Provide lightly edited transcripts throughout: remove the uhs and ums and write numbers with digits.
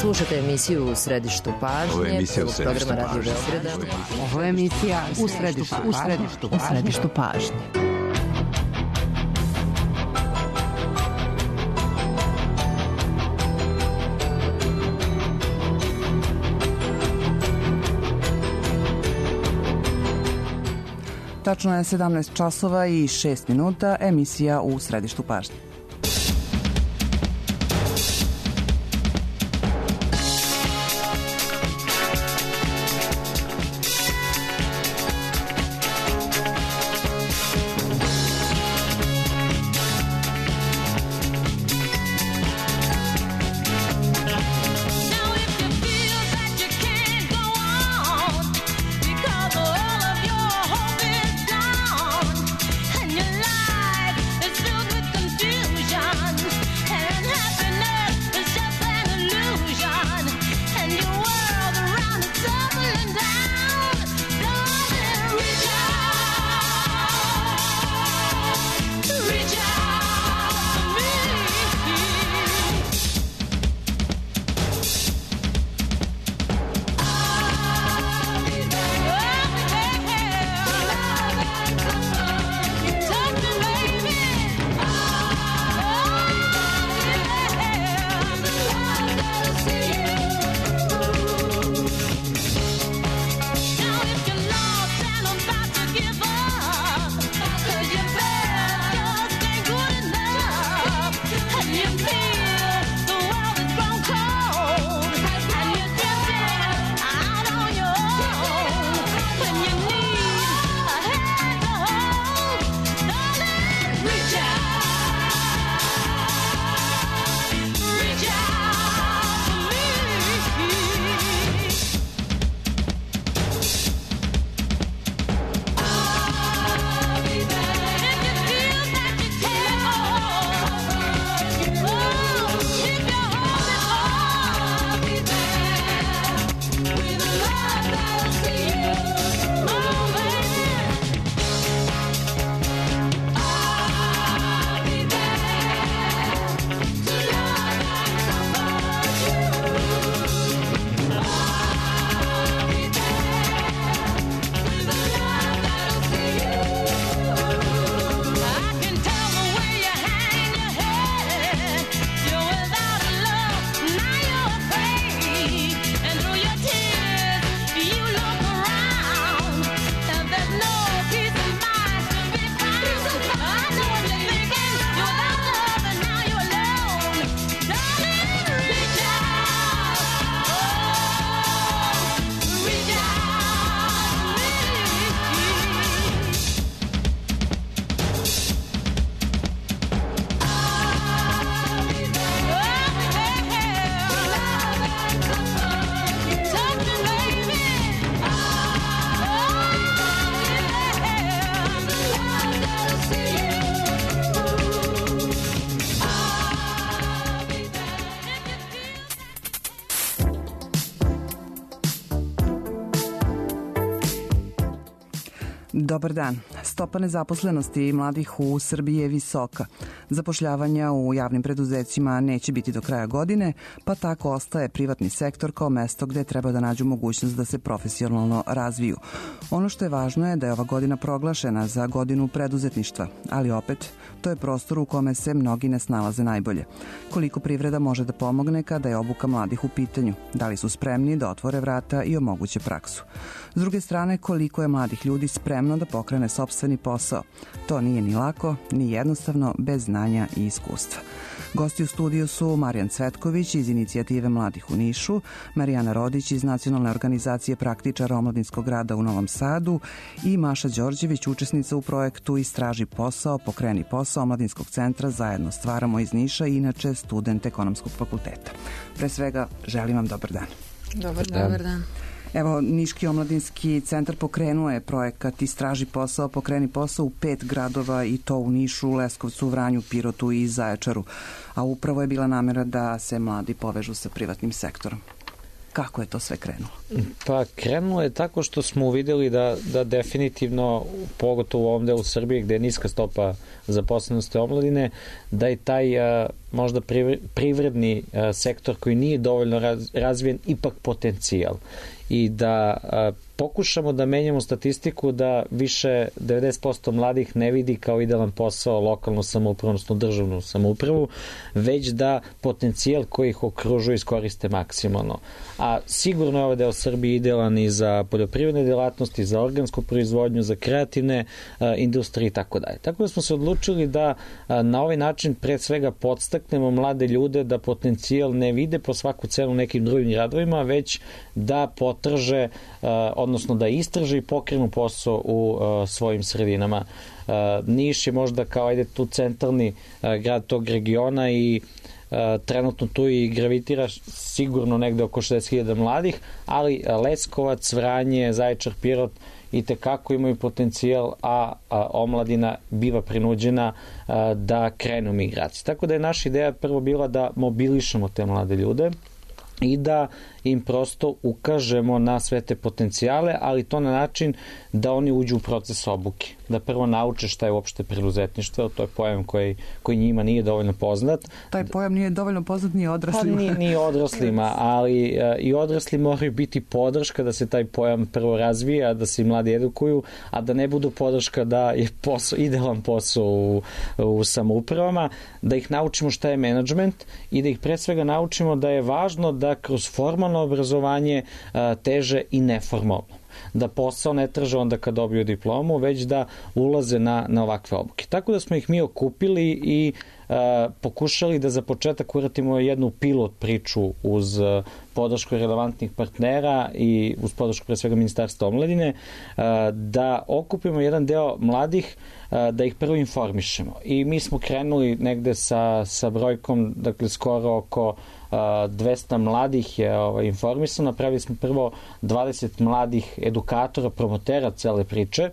Slušate emisiju U središtu pažnje. Ovo je emisija U središtu pažnje. Ovo je emisija U središtu pažnje. Tačno je 17 časova i 6 minuta, emisija U središtu pažnje. Dobar dan. Stopa nezaposlenosti mladih u Srbiji je visoka. Zapošljavanja u javnim preduzećima neće biti do kraja godine, pa tako ostaje privatni sektor kao mesto gde treba da nađu mogućnost da se profesionalno razviju. Ono što je važno je da je ova godina proglašena za godinu preduzetništva, ali opet, to je prostor u kome se mnogi ne snalaze najbolje. Koliko privreda može da pomogne kada je obuka mladih u pitanju? Da li su spremni da otvore vrata i omoguće praksu? S druge strane, koliko je mladih ljudi spremno da pokrene sopstveni posao? To nije ni lako, ni jednostavno, bez znanja i iskustva. Gosti u studiju su Marijan Cvetković iz Inicijative mladih u Nišu, Marijana Rodić iz Nacionalne organizacije praktičara omladinskog rada u Novom Sadu i Maša Đorđević, učesnica u projektu Istraži posao, pokreni posao Omladinskog centra Zajedno stvaramo iz Niša i inače student Ekonomskog fakulteta. Pre svega, želim vam dobar dan. Dobar dan. Evo, Niški omladinski centar pokrenuo je projekat Istraži posao, pokreni posao u 5 gradova i to u Nišu, Leskovcu, Vranju, Pirotu i Zaječaru. A upravo je bila namera da se mladi povežu sa privatnim sektorom. Kako je to sve krenulo? Pa krenulo je tako što smo uvideli da definitivno, pogotovo u ovom delu Srbije gde je niska stopa zaposlenosti omladine, da je taj možda privredni sektor koji nije dovoljno razvijen ipak potencijal i da pokušamo da menjamo statistiku da više 90% mladih ne vidi kao idealan posao lokalnu samoupravu, odnosno državnu samoupravu, već da potencijal koji ih okružuje iskoriste maksimalno. A sigurno je ovaj deo Srbije idealan i za poljoprivredne delatnosti, za organsku proizvodnju, za kreativne industrije i tako dalje. Tako da smo se odlučili da na ovaj način pre svega podstaknemo mlade ljude da potencijal ne vide po svaku cenu nekim drugim gradovima, već da potraže, odnosno da istraže i pokrenu posao u svojim sredinama. Niš je možda kao tu centralni grad tog regiona i trenutno tu i gravitira sigurno negde oko 60.000 mladih, ali Leskovac, Vranje, Zaječar, Pirot i tekako imaju potencijal, a omladina biva prinuđena da krenu u migraciju. Tako da je naša ideja prvo bila da mobilišemo te mlade ljude i da im prosto ukažemo na sve te potencijale, ali to na način da oni uđu u proces obuke. Da prvo nauče šta je uopšte preduzetništvo, to je pojam koji njima nije dovoljno poznat. Taj pojam nije dovoljno poznat ni odraslima. Pa nije odraslima, ali i odrasli moraju biti podrška da se taj pojam prvo razvija, da se i mladi edukuju, a da ne budu podrška da je idealan posao u samoupravama, da ih naučimo šta je menadžment i da ih pre svega naučimo da je važno da kroz formalno obrazovanje teže i neformalno. Da posao ne traže onda kad dobiju diplomu, već da ulaze na ovakve obuke. Tako da smo ih mi okupili i pokušali da za početak uradimo jednu pilot priču uz podršku relevantnih partnera i uz podršku pre svega Ministarstva omladine, da okupimo jedan deo mladih, da ih prvo informišemo. I mi smo krenuli negde sa brojkom, dakle skoro oko 200 mladih je informisano. Napravili smo prvo 20 mladih edukatora, promotera cele priče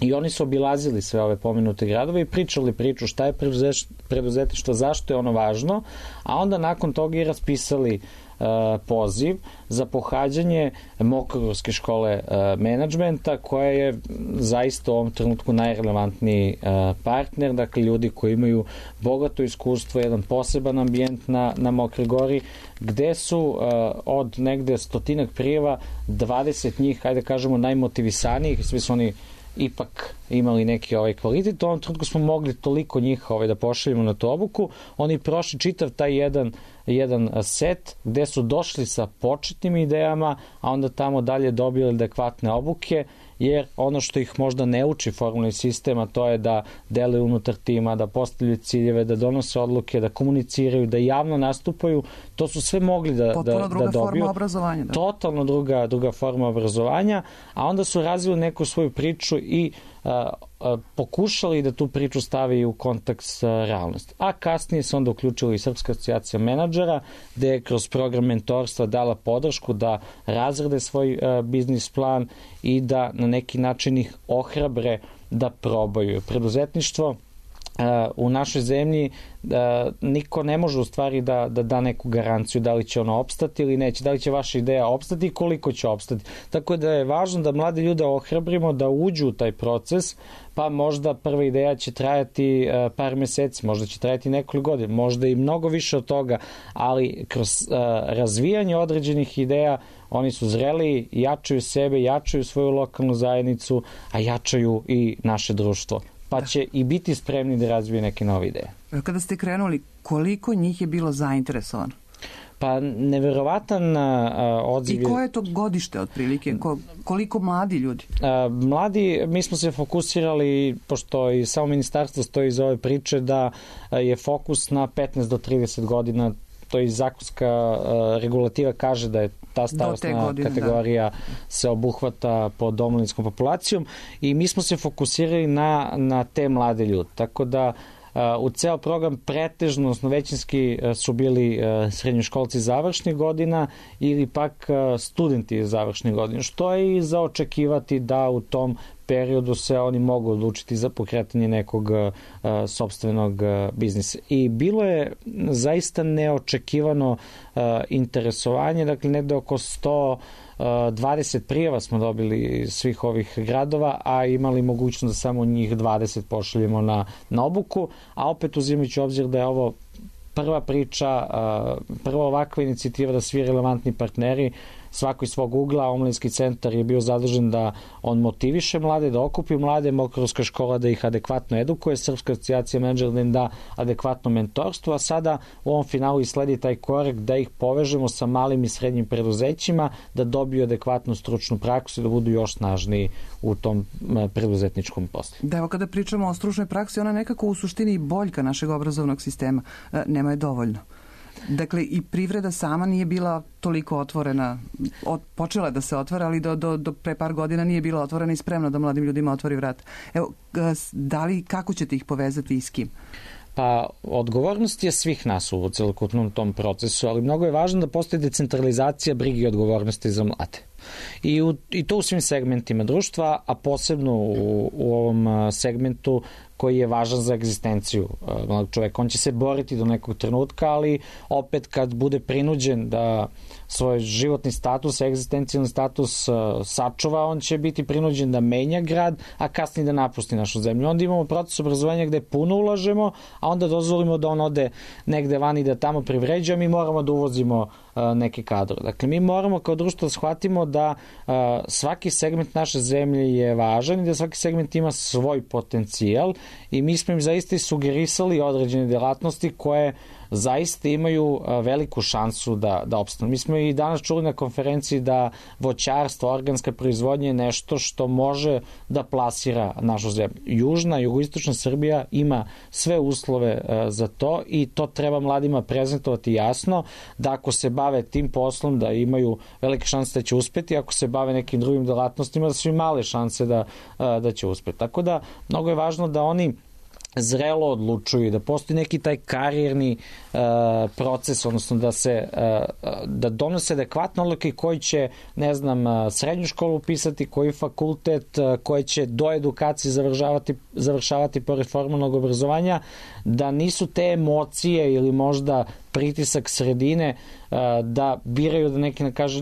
i oni su obilazili sve ove pomenute gradove i pričali priču šta je preduzetništvo, zašto je ono važno, a onda nakon toga i raspisali poziv za pohađanje Mokrogorske škole menadžmenta, koja je zaista u ovom trenutku najrelevantniji partner, dakle ljudi koji imaju bogato iskustvo, jedan poseban ambijent na Mokroj Gori, gde su od negde 100 prijava 20 njih, hajde kažemo, najmotivisanijih, svi su oni ipak imali neki kvalitet. U ovom trenutku smo mogli toliko njih da pošaljemo na tu obuku. Oni prošli čitav taj jedan set gde su došli sa početnim idejama, a onda tamo dalje dobili adekvatne obuke, jer ono što ih možda ne uči formalni sistem, a to je da deluju unutar tima, da postavljaju ciljeve, da donose odluke, da komuniciraju, da javno nastupaju, to su sve mogli da dobiju. Potpuno druga forma obrazovanja. Da. Totalno druga forma obrazovanja, a onda su razvili neku svoju priču i pokušali da tu priču stavi u kontekst realnosti. A kasnije se onda uključila i Srpska asocijacija menadžera, gde je kroz program mentorstva dala podršku da razrade svoj biznis plan i da na neki način ih ohrabre da probaju. Preduzetništvo u našoj zemlji niko ne može u stvari da neku garanciju da li će ono opstati ili neće, da li će vaša ideja opstati i koliko će opstati. Tako da je važno da mlade ljude ohrabrimo da uđu u taj proces, pa možda prva ideja će trajati par meseci, možda će trajati nekoliko godina, možda i mnogo više od toga, ali kroz razvijanje određenih ideja oni su zreli, jačaju sebe, jačaju svoju lokalnu zajednicu, a jačaju i naše društvo. Pa će i biti spremni da razvije neke nove ideje. Kada ste krenuli, koliko njih je bilo zainteresovano? Pa neverovatan odziv. I koje je to godište otprilike? Koliko mladi ljudi? Mladi, mi smo se fokusirali, pošto i samo ministarstvo stoji iz ove priče, da je fokus na 15 do 30 godina, to i zakonska regulativa kaže da je ta starostna kategorija se obuhvata pod omladinskom populacijom i mi smo se fokusirali na te mlade ljude. Tako da u ceo program pretežno, odnosno većinski su bili srednjoškolci završnih godina ili pak studenti završnih godina, što je i za očekivati da u tom periodu se oni mogu odlučiti za pokretanje nekog sopstvenog biznisa. I bilo je zaista neočekivano interesovanje, dakle negde oko 120 prijava smo dobili iz svih ovih gradova, a imali mogućnost da samo njih 20 pošaljemo na obuku, a opet uzimajući obzir da je ovo prva priča, prva ovakva inicijativa da svi relevantni partneri svako iz svog ugla, Omladinski centar je bio zadužen da on motiviše mlade, da okupi mlade, Mokrorska škola da ih adekvatno edukuje, Srpska asocijacija menadžera da im da adekvatno mentorstvo, a sada u ovom finalu i sledi taj korak da ih povežemo sa malim i srednjim preduzećima, da dobiju adekvatnu stručnu praksu i da budu još snažniji u tom preduzetničkom poslu. Da, evo kada pričamo o stručnoj praksi, ona nekako u suštini boljka našeg obrazovnog sistema. Nema je dovoljno. Dakle, i privreda sama nije bila toliko otvorena, počela je da se otvara, ali do pre par godina nije bila otvorena i spremna da mladim ljudima otvori vrat. Evo, kako ćete ih povezati i s kim? Pa, odgovornost je svih nas u celokupnom tom procesu, ali mnogo je važno da postoji decentralizacija brige i odgovornosti za mlade. I to u svim segmentima društva, a posebno u ovom segmentu koji je važan za egzistenciju mladog čoveka. On će se boriti do nekog trenutka, ali opet kad bude prinuđen da svoj životni status, egzistencijalni status sačuva, on će biti prinuđen da menja grad, a kasnije da napusti našu zemlju. Onda imamo proces obrazovanja gde puno ulažemo, a onda dozvolimo da on ode negde vani da tamo privređuje, mi moramo da uvozimo neke kadrove. Dakle, mi moramo kao društvo da shvatimo da svaki segment naše zemlje je važan i da svaki segment ima svoj potencijal i mi smo im zaista sugerisali određene delatnosti koje zaista imaju veliku šansu da opstanu. Mi smo i danas čuli na konferenciji da voćarstvo, organska proizvodnja je nešto što može da plasira našu zemlju. Južna, jugoistočna Srbija ima sve uslove za to i to treba mladima prezentovati jasno, da ako se bave tim poslom da imaju velike šanse da će uspeti, ako se bave nekim drugim delatnostima da su i male šanse da će uspeti. Tako da mnogo je važno da oni zrelo odlučuju, da postoji neki taj karijerni proces, odnosno da donose adekvatne odluke koji će, ne znam, srednju školu upisati, koji fakultet, koji će do edukacije završavati pored formalnog obrazovanja, da nisu te emocije ili možda pritisak sredine da biraju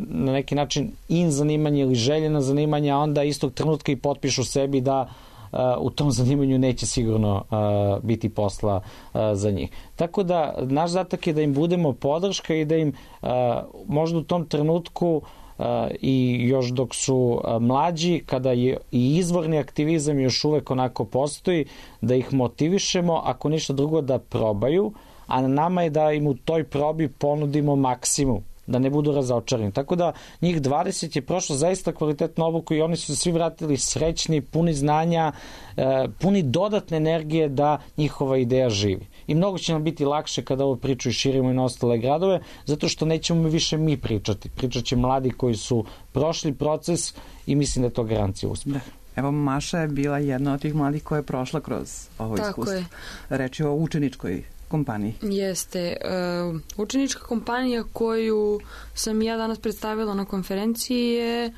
na neki način zanimanje ili željena zanimanja, a onda istog trenutka i potpišu sebi da u tom zanimanju neće sigurno biti posla za njih. Tako da naš zadatak je da im budemo podrška i da im možda u tom trenutku i još dok su mlađi, kada je i izvorni aktivizam još uvek onako postoji, da ih motivišemo, ako ništa drugo da probaju, a na nama je da im u toj probi ponudimo maksimum, da ne budu razočarani. Tako da njih 20 je prošlo zaista kvalitetnu obuku i oni su se svi vratili srećni, puni znanja, puni dodatne energije da njihova ideja živi. I mnogo će nam biti lakše kada ovo priču i širimo i na ostale gradove, zato što nećemo više mi pričati. Pričat će mladi koji su prošli proces i mislim da je to garancija uspeha. Evo, Maša je bila jedna od tih mladih koja je prošla kroz ovo iskustvo. Tako je. Reč je o učeničkoj kompaniji. Jeste. Učenička kompanija koju sam ja danas predstavila na konferenciji je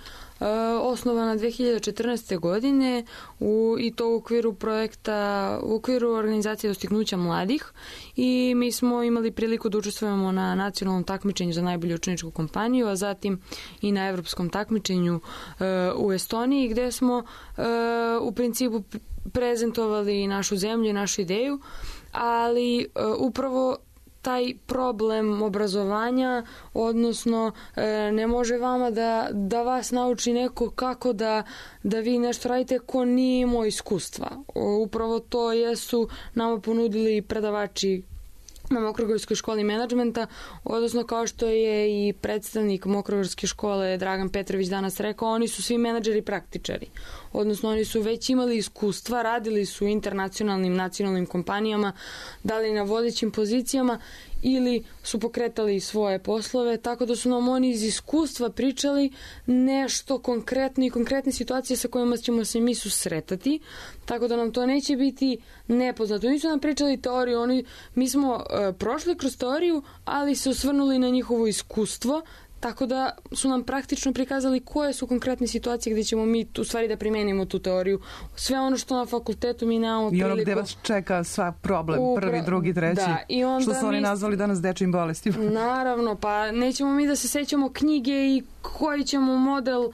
osnovana 2014. godine i to u okviru projekta, u okviru organizacije dostignuća mladih i mi smo imali priliku da učestvujemo na nacionalnom takmičenju za najbolju učeničku kompaniju, a zatim i na evropskom takmičenju u Estoniji gde smo u principu prezentovali našu zemlju i našu ideju, ali upravo taj problem obrazovanja, odnosno ne može vama da vas nauči neko kako da vi nešto radite ko nije imao iskustva. Upravo to jesu nama ponudili predavači na Mokrogorskoj školi menadžmenta, odnosno kao što je i predstavnik Mokrogorske škole Dragan Petrović danas rekao, oni su svi menadžeri praktičari. Odnosno oni su već imali iskustva, radili su u internacionalnim, nacionalnim kompanijama, da li na vodećim pozicijama ili su pokretali svoje poslove, tako da su nam oni iz iskustva pričali nešto konkretno i konkretne situacije sa kojima ćemo se mi susretati, tako da nam to neće biti nepoznato. Nisu nam pričali teoriju, mi smo prošli kroz teoriju, ali se osvrnuli na njihovo iskustvo, tako da su nam praktično prikazali koje su konkretne situacije gde ćemo mi u stvari da primenimo tu teoriju. Sve ono što na fakultetu mi nemamo priliku. I ono gde vas čeka sva problem, prvi, drugi, treći, da, što su oni nazvali danas dečijim bolestima. Naravno, pa nećemo mi da se sećamo knjige i koji ćemo model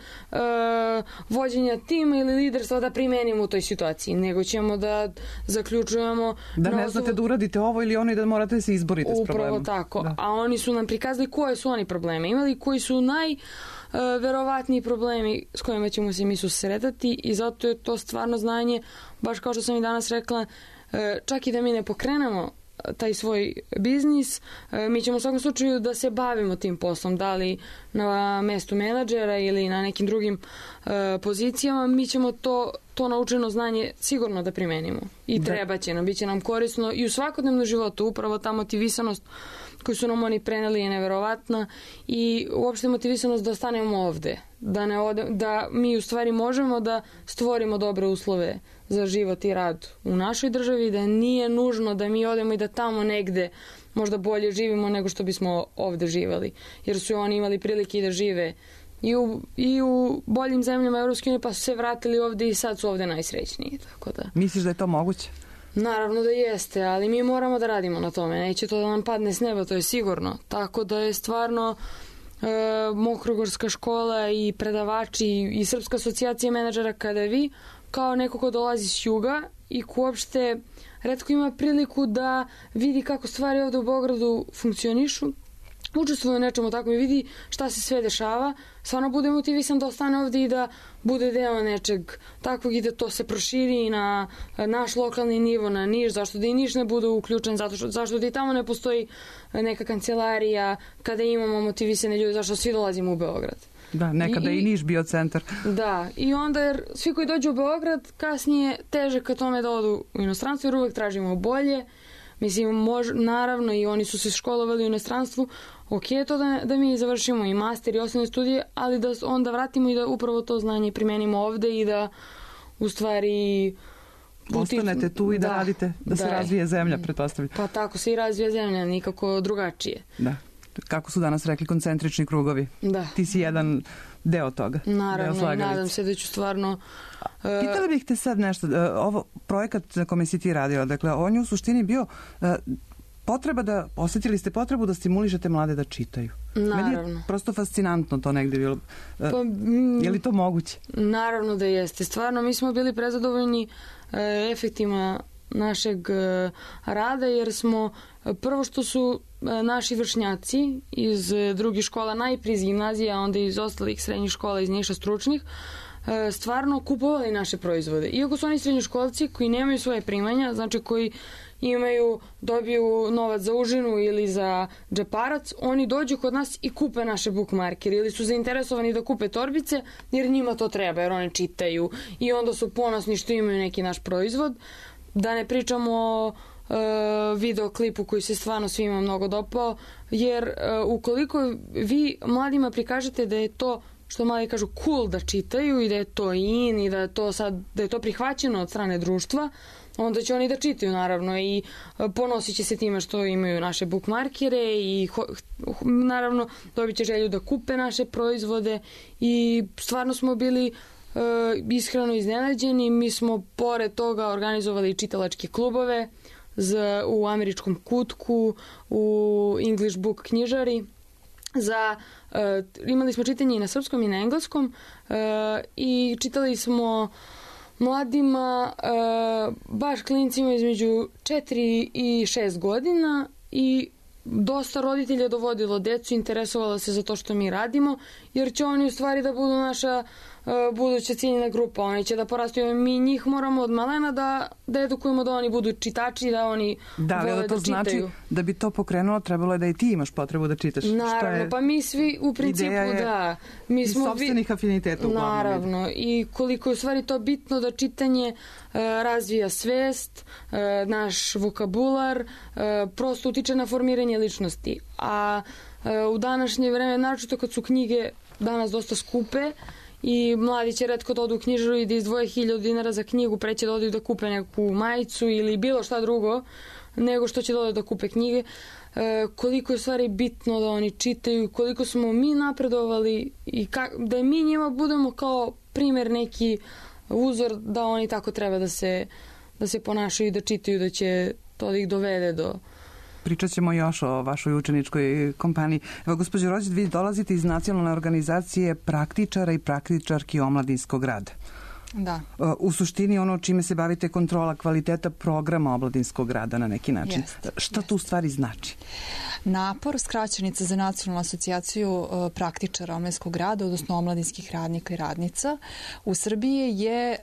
vođenja tima ili liderstva da primenimo u toj situaciji, nego ćemo da zaključujemo... Da ne znate da uradite ovo ili ono i da morate da se izborite s problemom. Upravo tako. Da. A oni su nam prikazali koje su oni probleme imali, koji su najverovatniji problemi s kojima ćemo se mi susretati i zato je to stvarno znanje, baš kao što sam i danas rekla, čak i da mi ne pokrenemo taj svoj biznis, mi ćemo u svakom slučaju da se bavimo tim poslom, da li na mestu menadžera ili na nekim drugim pozicijama, mi ćemo to naučeno znanje sigurno da primenimo i treba će nam, bit će nam korisno i u svakodnevnom životu, upravo ta motivisanost koju su nam oni preneli je neverovatna i uopšte motivisanost da ostanemo ovde, da mi u stvari možemo da stvorimo dobre uslove za život i rad u našoj državi, da nije nužno da mi odemo i da tamo negde možda bolje živimo nego što bismo ovde živeli, jer su oni imali prilike da žive i u boljim zemljama Evropske unije, pa su se vratili ovde i sad su ovde najsrećniji. Tako da. Misliš da je to moguće? Naravno da jeste, ali mi moramo da radimo na tome. Neće to da nam padne s neba, to je sigurno. Tako da je stvarno Mokrogorska škola i predavači i Srpska asocijacija menadžera kada vi, kao neko ko dolazi s juga i ko uopšte retko ima priliku da vidi kako stvari ovde u Beogradu funkcionišu, učestvuje u nečemu tako i vidi šta se sve dešava, stvarno bude motivisan da ostane ovde i da bude deo nečeg takvog i da to se proširi i na naš lokalni nivo, na Niš, zašto da i Niš ne bude uključen, zašto da i tamo ne postoji neka kancelarija kada imamo motivisane ljude, zašto svi dolazimo u Beograd. Da, nekada i Niš bio centar. Da, i onda jer svi koji dođu u Beograd kasnije teže ka tome da odu u inostranstvo jer uvek tražimo bolje. Mislim, naravno i oni su se školovali u inostranstvu, ok je to da mi završimo i master i osnovne studije, ali da onda vratimo i da upravo to znanje primenimo ovde i da u stvari... Ostanete tu i da radite, da se razvije zemlja, pretpostavljam. Pa tako se i razvija zemlja, nikako drugačije. Da. Kako su danas rekli, koncentrični krugovi. Da. Ti si jedan deo toga. Naravno, i nadam se da ću stvarno... Pitala bih te sad nešto, ovo projekat na kome si ti radila, dakle, on je u suštini bio potreba da, osjetili ste potrebu da stimulišete mlade da čitaju. Naravno. Meni je prosto fascinantno to negde bilo. Je li to moguće? Naravno da jeste. Stvarno, mi smo bili prezadovoljni efektima našeg rada, jer smo prvo što su naši vršnjaci iz drugih škola, najprije iz gimnazije, a onda iz ostalih srednjih škola iz Niša stručnih, stvarno kupovali naše proizvode. Iako su oni srednjoškolci koji nemaju svoje primanja, znači koji dobiju novac za užinu ili za džeparac, oni dođu kod nas i kupe naše bookmarkere ili su zainteresovani da kupe torbice jer njima to treba, jer oni čitaju i onda su ponosni što imaju neki naš proizvod. Da ne pričamo o videoklipu koji se stvarno svima mnogo dopao, jer ukoliko vi mladima prikažete da je to, što mladi kažu, cool da čitaju i da je to in i da je to prihvaćeno od strane društva, onda će oni da čitaju naravno i ponosit će se time što imaju naše bookmarkere i naravno dobit će želju da kupe naše proizvode i stvarno smo bili iskreno iznenađeni. Mi smo pored toga organizovali čitalačke klubove u Američkom kutku, u English Book knjižari. Imali smo čitanje i na srpskom i na engleskom i čitali smo mladima, baš klincima između 4 i 6 godina i dosta roditelja dovodilo decu, interesovalo se za to što mi radimo, jer će oni u stvari da budu naša buduća ciljna grupa. Oni će da porastaju. Mi njih moramo od malena da edukujemo, da oni budu čitači, da oni vole da čitaju. Da, ali to znači da bi to pokrenulo, trebalo je da i ti imaš potrebu da čitaš. Naravno, pa mi svi u principu da. Mi smo sopstvenih afiniteta uglavnom. Naravno, i koliko je u stvari to bitno da čitanje razvija svest, naš vokabular, prosto utiče na formiranje ličnosti. A u današnje vreme, naročito kad su knjige danas dosta skupe, i mladi će retko da odu u knjižaru i da izdvoje 1000 dinara za knjigu, pre će da odu da kupe neku majicu ili bilo šta drugo nego što će da odu da kupe knjige. Koliko je u stvari bitno da oni čitaju, koliko smo mi napredovali i da mi njima budemo kao primer, neki uzor da oni tako treba da se ponašaju i da čitaju, da će to da ih dovede do pričat ćemo još o vašoj učeničkoj kompaniji. Evo, gospođo Rođe, vi dolazite iz nacionalne organizacije praktičara i praktičarki omladinskog rada. Da. U suštini ono čime se bavite kontrola kvaliteta programa omladinskog rada na neki način. Šta to u stvari znači? Napor, skraćenica za Nacionalnu asocijaciju praktičara omladinskog rada, odnosno omladinskih radnika i radnica, u Srbiji je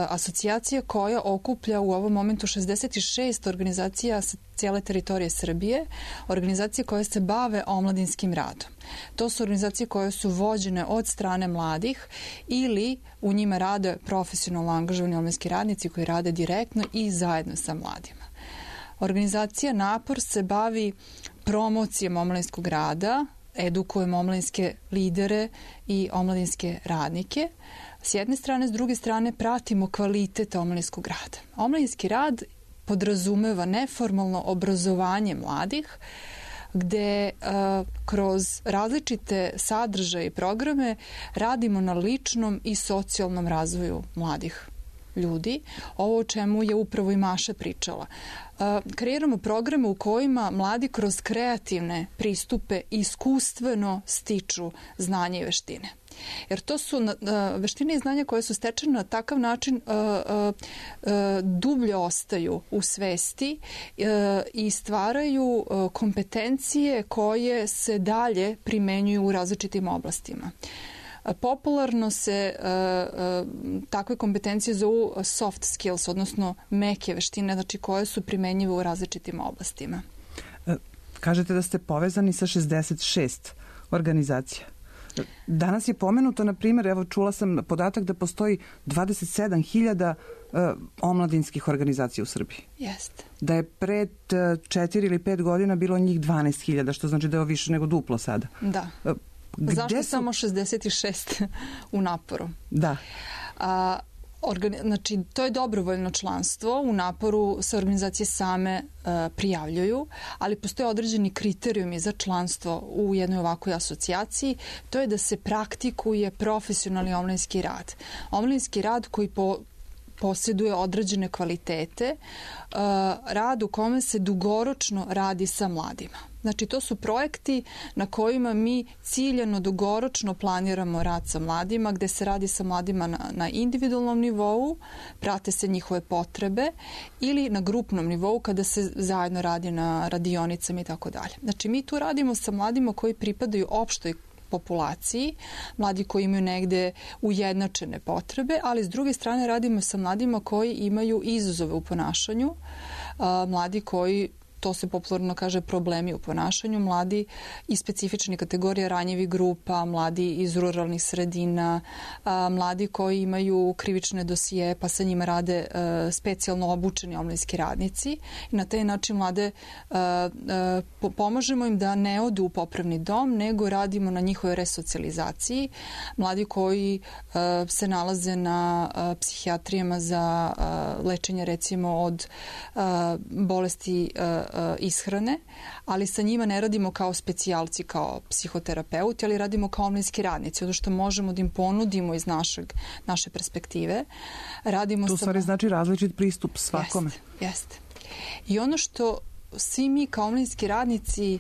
asocijacija koja okuplja u ovom momentu 66 organizacija sa cijele teritorije Srbije, organizacije koje se bave omladinskim radom. To su organizacije koje su vođene od strane mladih ili u njima rade profesionalno angažovani omladinski radnici koji rade direktno i zajedno sa mladima. Organizacija Napor se bavi promocijom omladinskog rada, edukujemo omladinske lidere i omladinske radnike. S jedne strane, s druge strane pratimo kvalitet omladinskog rada. Omladinski rad podrazumeva neformalno obrazovanje mladih, gde kroz različite sadržaje i programe radimo na ličnom i socijalnom razvoju mladih ljudi. Ovo o čemu je upravo i Maša pričala. Kreiramo programe u kojima mladi kroz kreativne pristupe iskustveno stiču znanje i veštine. Jer to su veštine i znanja koje su stečene na takav način dublje ostaju u svesti i stvaraju kompetencije koje se dalje primenjuju u različitim oblastima. Popularno se takve kompetencije zovu soft skills, odnosno meke veštine, znači koje su primenjive u različitim oblastima. Kažete da ste povezani sa 66 organizacija. Danas je pomenuto, na primjer, evo čula sam podatak da postoji 27.000 omladinskih organizacija u Srbiji. Jeste. Da je pred 4 ili 5 godina bilo njih 12.000, što znači da je više nego duplo sada. Da. Zašto samo 66 u Naporu? Da. Znači, to je dobrovoljno članstvo. U Naporu se organizacije same prijavljuju, ali postoje određeni kriterijumi za članstvo u jednoj ovakvoj asocijaciji. To je da se praktikuje profesionalni omladinski rad. Omladinski rad koji posjeduje određene kvalitete, rad u kome se dugoročno radi sa mladima. Znači, to su projekti na kojima mi ciljano dugoročno planiramo rad sa mladima, gde se radi sa mladima na individualnom nivou, prate se njihove potrebe, ili na grupnom nivou kada se zajedno radi na radionicama i tako dalje. Znači, mi tu radimo sa mladima koji pripadaju opštoj populaciji, mladi koji imaju negde ujednačene potrebe, ali s druge strane radimo sa mladima koji imaju izazove u ponašanju, mladi koji, to se popularno kaže, problemi u ponašanju, mladi iz specifičnih kategorija ranjivih grupa, mladi iz ruralnih sredina, mladi koji imaju krivične dosije, pa sa njima rade specijalno obučeni omladinski radnici. I na taj način mlade pomažemo im da ne odu u popravni dom, nego radimo na njihovoj resocijalizaciji. Mladi koji se nalaze na psihijatrijama za lečenje, recimo, od bolesti ishrane, ali sa njima ne radimo kao specijalci, kao psihoterapeuti, ali radimo kao omladinski radnici, ono što možemo da im ponudimo iz naše perspektive. Radimo to u stvari znači različit pristup svakome. Jeste. I ono što svi mi kao omladinski radnici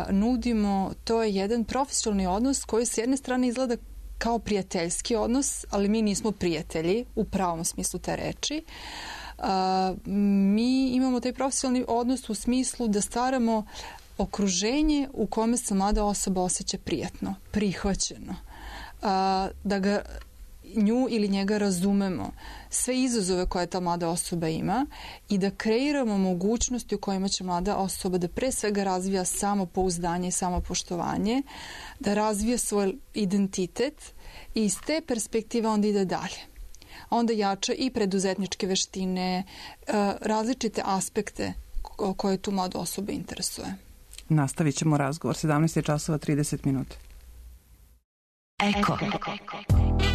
nudimo, to je jedan profesionalni odnos koji s jedne strane izgleda kao prijateljski odnos, ali mi nismo prijatelji u pravom smislu te reči. Mi imamo taj profesionalni odnos u smislu da stvaramo okruženje u kome se mlada osoba osjeća prijatno, prihvaćeno, da ga nju ili njega razumemo, sve izazove koje ta mlada osoba ima i da kreiramo mogućnosti u kojima će mlada osoba da pre svega razvija samopouzdanje i samopoštovanje, da razvija svoj identitet i iz te perspektive onda ide dalje. Onda jača i preduzetničke veštine, različite aspekte koje tu mlada osoba interesuje. Nastavit ćemo razgovor, 17:30. Eko.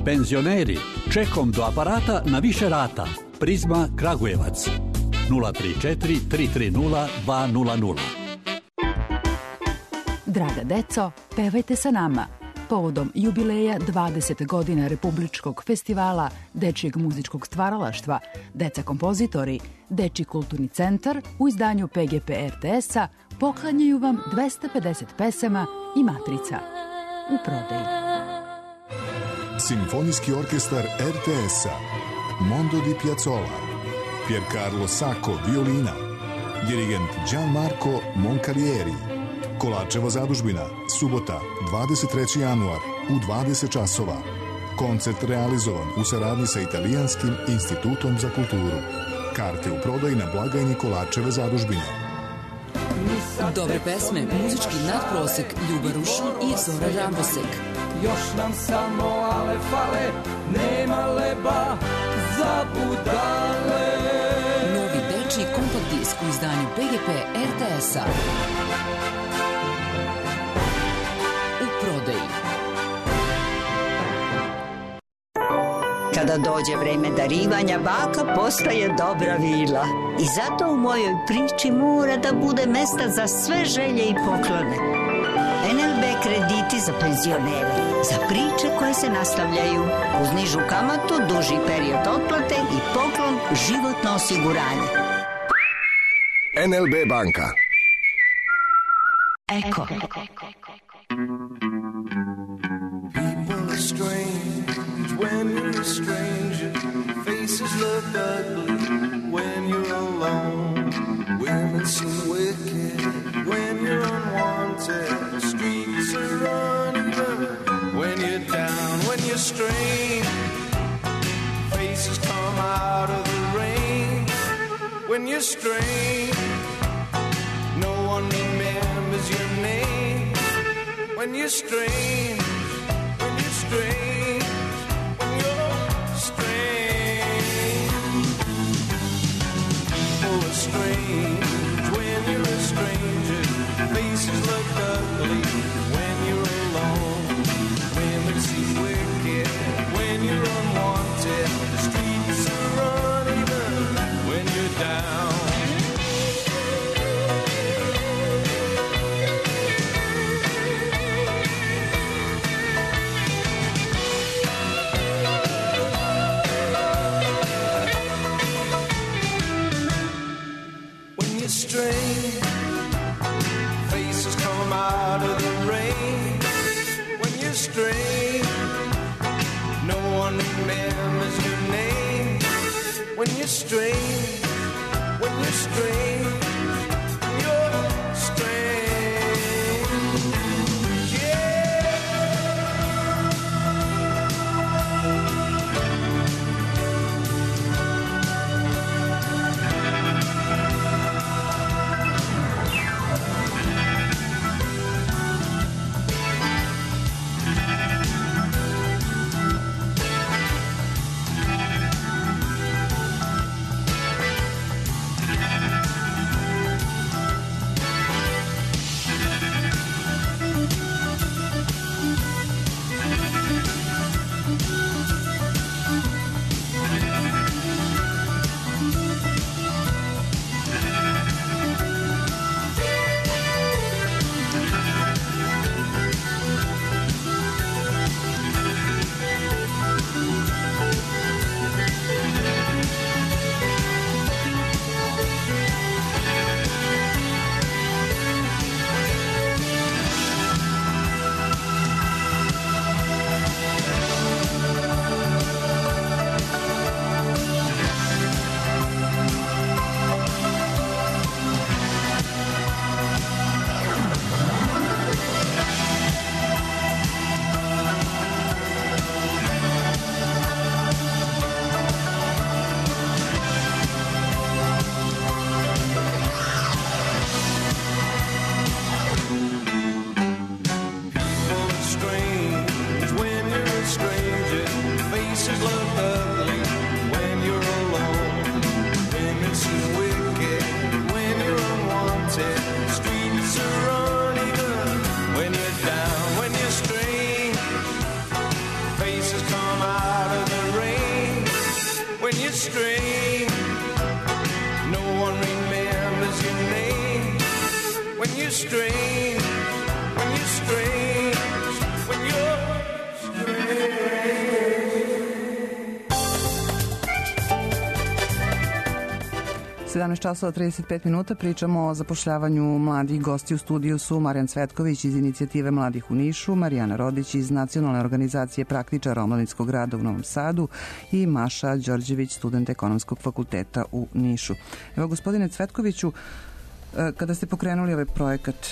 Penzioneri, čekom do aparata na više rata. Prizma Kragujevac. 034 330 200. Draga deco, pevajte sa nama. povodom jubileja 20 godina Republičkog festivala dečijeg muzičkog stvaralaštva Deca kompozitori, Dečiji kulturni centar u izdanju PGP RTS-a poklanjaju vam 250 pesama i matrica u prodaji. Simfonijski orkestar RTS-a, Mondo di Piazzolla, Piercarlo Sacco violina, dirigent Gianmarco Moncalieri. Kolačeva zadužbina, subota, 23. januar u 20 časova. Koncert realizovan u saradnji sa Italijanskim institutom za kulturu. Karte u prodaji na blagajni Kolačeve zadužbine. Dobre pesme, muzički nadprosek, Ljuba Rušin i Zora Rambosek. Još nam samo ale fale, nema leba za budale. Novi dečiji kompakt disk u izdanju PGP RTS-a. U prodaji. Kada dođe vreme darivanja, baka postaje dobra vila. I zato u mojoj priči mora da bude mesta za sve želje i poklone. NLB krediti za penzionere, za priče koje se nastavljaju, uz nižu kamatu, duži period otplate i poklon životno osiguranje. NLB banka. Eko. People are strange when you're a stranger. Faces look ugly when you're alone. Women seem wicked when you're unwanted. Streets are uneven when you're down, when you're strange. Faces come out of the rain when you're strange. No one remembers your name when you're strange. When you're strange. When you're strange. People are strange when you're a stranger. Faces look ugly when you're alone. Women seem wicked when you're unwanted. The streets are uneven when you're down. Strange faces come out of the rain when you're strange. No one remembers your name when you're strange. When you're strange, you're strange. Yeah. Strange, no one remembers your name when you're strange, when you're strange, when you're 17 časova 35 minuta pričamo o zapošljavanju mladih. Gosti u studiju su Marijan Cvetković iz Inicijative mladih u Nišu, Marijana Rodić iz Nacionalne organizacije praktičara omladinskog rada u Novom Sadu i Maša Đorđević, student Ekonomskog fakulteta u Nišu. Evo, gospodine Cvetkoviću, kada ste pokrenuli ovaj projekat,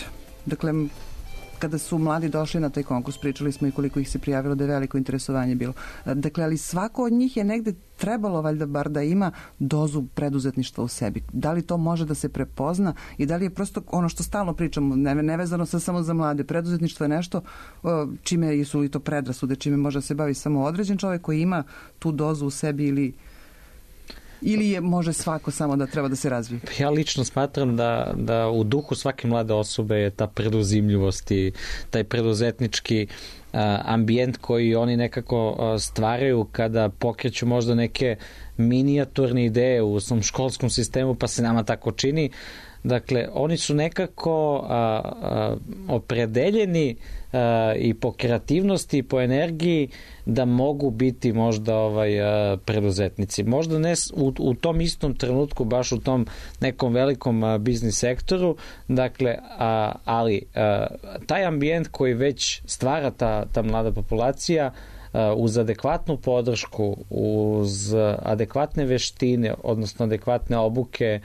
dakle, kada su mladi došli na taj konkurs, pričali smo i koliko ih se prijavilo, da je veliko interesovanje bilo. Dakle, ali svako od njih je negde trebalo valjda bar da ima dozu preduzetništva u sebi. Da li to može da se prepozna i da li je prosto ono što stalno pričamo, nevezano samo za mlade, preduzetništvo je nešto čime su i to predrasude, čime može da se bavi samo određen čovjek koji ima tu dozu u sebi ili je može svako samo da treba da se razvije? Ja lično smatram da u duhu svake mlade osobe je ta preduzimljivost i taj preduzetnički ambijent koji oni nekako stvaraju kada pokreću možda neke minijaturne ideje u svom školskom sistemu, pa se nama tako čini. Dakle, oni su nekako opredeljeni i po kreativnosti i po energiji da mogu biti možda preduzetnici. Možda ne u tom istom trenutku, baš u tom nekom velikom biznis sektoru, dakle, ali taj ambijent koji već stvara ta mlada populacija uz adekvatnu podršku, uz adekvatne veštine, odnosno adekvatne obuke,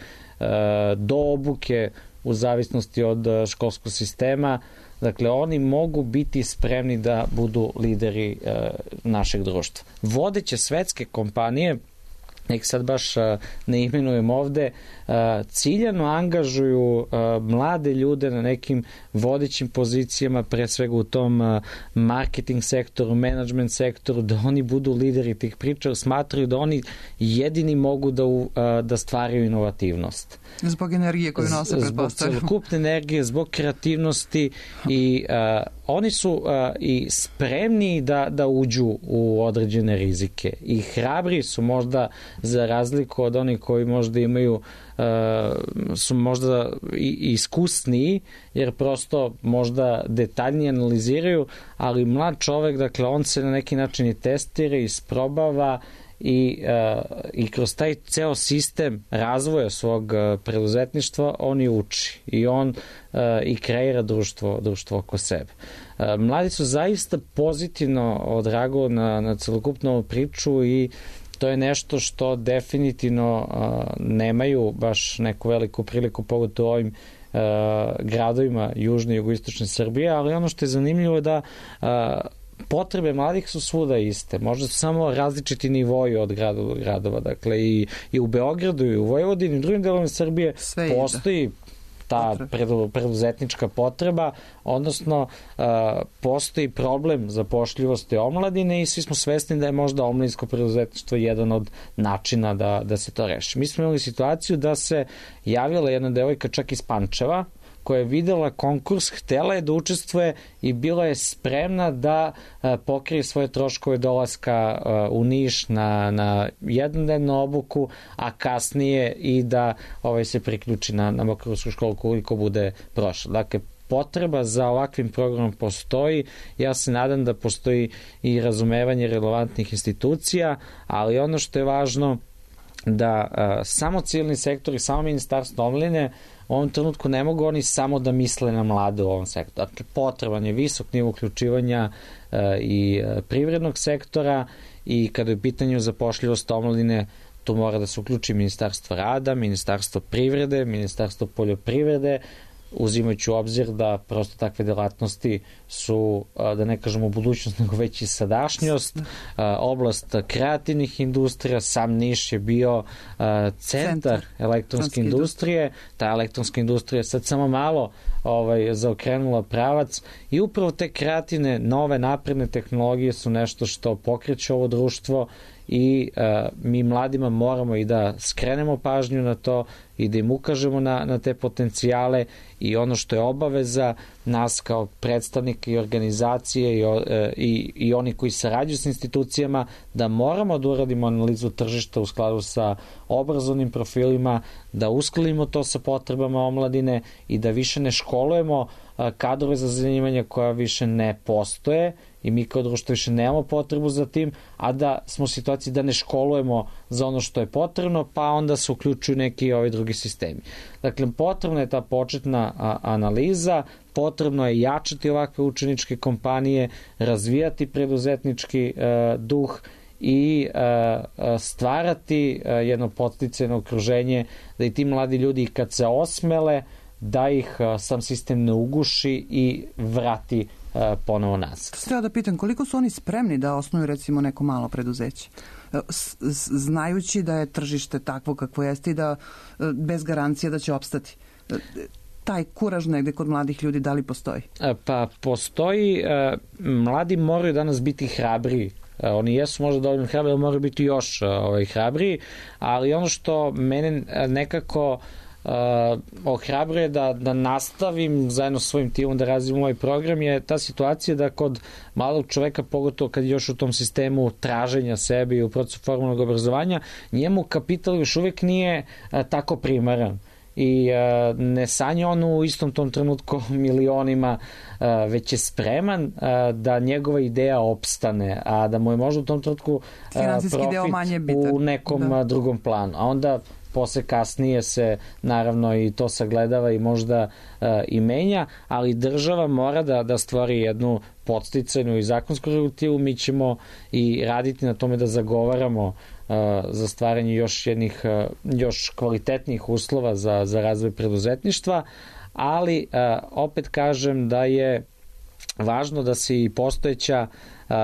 do obuke u zavisnosti od školskog sistema, dakle oni mogu biti spremni da budu lideri našeg društva. Vodeće svetske kompanije, nek sad baš ne imenujem ovde, ciljano angažuju mlade ljude na nekim vodećim pozicijama, pre svega u tom marketing sektoru, management sektoru, da oni budu lideri tih priča, smatraju da oni jedini mogu da stvaraju inovativnost. Zbog energije koju nose, pretpostavljamo. Zbog celokupne energije, zbog kreativnosti i oni su i spremni da uđu u određene rizike i hrabri su možda za razliku od onih koji možda imaju su možda i iskusniji, jer prosto možda detaljnije analiziraju, ali mlad čovek, dakle, on se na neki način i testira, isprobava i kroz taj ceo sistem razvoja svog preduzetništva on i uči i on i kreira društvo oko sebe. Mladi su zaista pozitivno odreagovali na celokupnu priču i to je nešto što definitivno nemaju baš neku veliku priliku pogotovo u ovim gradovima južne i jugoistočne Srbije, ali ono što je zanimljivo je da potrebe mladih su svuda iste. Možda su samo različiti nivoji od gradova. Dakle, i u Beogradu, i u Vojvodini, i u drugim delovima Srbije postoji ta preduzetnička potreba, odnosno postoji problem zapošljivosti omladine i svi smo svesni da je možda omladinsko preduzetništvo jedan od načina da se to reši. Mi smo imali situaciju da se javila jedna devojka čak iz Pančeva, koja je videla konkurs, htela je da učestvuje i bila je spremna da pokrije svoje troškove dolaska u Niš na jednodnevnu obuku, a kasnije i da se priključi na Makarovsku školu koliko bude prošla. Dakle, potreba za ovakvim programom postoji. Ja se nadam da postoji i razumevanje relevantnih institucija, ali ono što je važno da samo civilni sektor i samo Ministarstvo omladine u ovom trenutku ne mogu oni samo da misle na mlade u ovom sektoru. Dakle, potreban je visok nivo uključivanja i privrednog sektora i kada je u pitanju zapošljivost omladine, tu mora da se uključi Ministarstvo rada, Ministarstvo privrede, Ministarstvo poljoprivrede, uzimajući u obzir da prosto takve delatnosti su, da ne kažemo budućnost, nego već i sadašnjost. Oblast kreativnih industrija, sam Niš je bio centar elektronske industrije. Ta elektronska industrija sad samo malo zaokrenula pravac i upravo te kreativne, nove, napredne tehnologije su nešto što pokreće ovo društvo i mi mladima moramo i da skrenemo pažnju na to i da im ukažemo na te potencijale i ono što je obaveza nas kao predstavnika i organizacije i oni koji sarađuju s institucijama, da moramo da uradimo analizu tržišta u skladu sa obrazovnim profilima, da uskladimo to sa potrebama omladine i da više ne školujemo kadrove za zanimanja koja više ne postoje i mi kao društvo više nemamo potrebu za tim, a da smo u situaciji da ne školujemo za ono što je potrebno, pa onda se uključuju neki ovi drugi sistemi. Dakle, potrebna je ta početna analiza, potrebno je jačati ovakve učeničke kompanije, razvijati preduzetnički duh i stvarati jedno podsticajno okruženje da i ti mladi ljudi kad se osmele da ih sam sistem ne uguši i vrati ponovo nas. Treba da pitam, koliko su oni spremni da osnuju recimo neko malo preduzeće? Znajući da je tržište takvo kakvo jeste i da bez garancije da će opstati. Taj kuraž negde kod mladih ljudi, da li postoji? Pa postoji, mladi moraju danas biti hrabriji. Oni jesu možda dovoljno hrabri, ali moraju biti još hrabriji, ali ono što mene nekako ohrabruje da nastavim zajedno sa svojim timom da razvijemo ovaj program je ta situacija da kod malog čoveka, pogotovo kad je još u tom sistemu traženja sebe i u procesu formalnog obrazovanja, njemu kapital još uvijek nije tako primaran i ne sanja on u istom tom trenutku milionima, već je spreman da njegova ideja opstane, a da mu je možda u tom trenutku profit u nekom drugom planu. A onda posle kasnije se naravno i to sagledava i možda i menja, ali država mora da stvori jednu podsticajnu i zakonsku regulativu. Mi ćemo i raditi na tome da zagovaramo za stvaranje još kvalitetnijih uslova za razvoj preduzetništva, ali opet kažem da je važno da se i postojeća